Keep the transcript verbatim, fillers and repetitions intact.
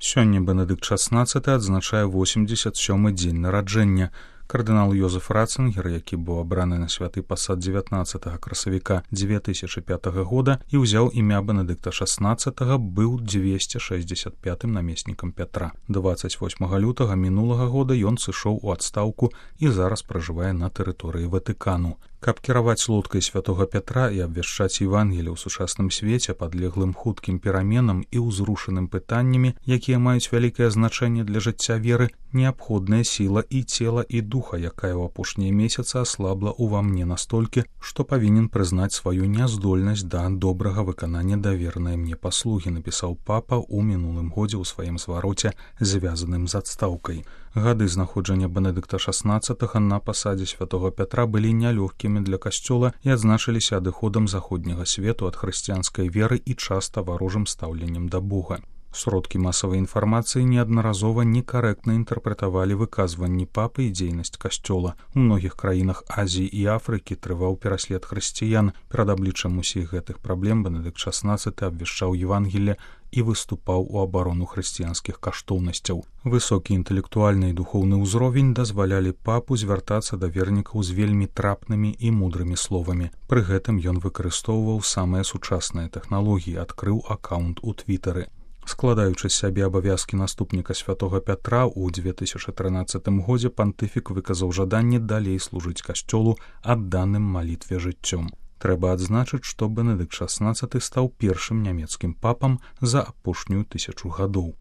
Сёння Бенедыкт шаснаццаты адзначае восемьдзесят сёмы дзень нараджэння. Кардынал Йозеф Ратцингер, які быў абраны на святы пасад дзевятнаццатага красавіка дзве тысячы пятага года і ўзяў імя Бенедыкта шаснаццатага, быў дзвесце шэсцьдзесят пятым намеснікам Пятра. дваццаць восьмага лютага мінулага года ён сышоў у адстаўку і зараз пражывае на тэрыторыі Ватыкану. Каб кіраваць лодкай святога Пятра і абвяшчаць Евангелие ў сучасным свеце, падлеглым хуткім пераменам і ўзрушаным пытаннямі, якія маюць вялікае значэнне для жыцця веры, неабходная сіла і цела і духа, якая ў апошнія месяцы аслабла ўва мне настолькі, што павінен прызнаць сваю няздольнасць да добрага выканання даверанай мне паслугі, напісаў папа ў мінулым годзе ў сваім звароце, звязаным з адстаўкай. Гады знаходжання Бенедыкта шаснаццатага на пасадзе святога Пятра былі нялёгкімі для касцёла і адзначыліся адыходам заходняга свету ад хрысціянскай веры і часта варожым стаўленнем да Бога. Сродкі масавай інфармацыі неаднаразова некарэктна інтэрпрэтавалі выказванні папы і дзейнасць касцёла. У многіх краінах Азіі і Афрыкі трываў пераслед хрысціян. Перад абліччам усіх гэтых праблем Бенедыкт шаснаццаты абвяшчаў Евангелие і выступаў у абарону хрысціянскіх каштоўнасцяў. Высокі інтэлектуальны і духоўны ўзровень дазвалялі папу звяртацца да вернікаў з вельмі трапнымі і мудрымі словамі. Пры гэтым ён выкарыстоўваў самыя сучасныя тэхналогіі, адкрыў акаунт у твітары. Складаючы з сябе абавязкі наступніка святога Пятра, у дзве тысячы трынаццатым годзе пантыфік выказаў жаданне далей служыць касцёлу адданым малітве жыццём. Трэба адзначыць, што Бенедыкт шаснаццаты стаў першым нямецкім папам за апошнюю тысячу гадоў.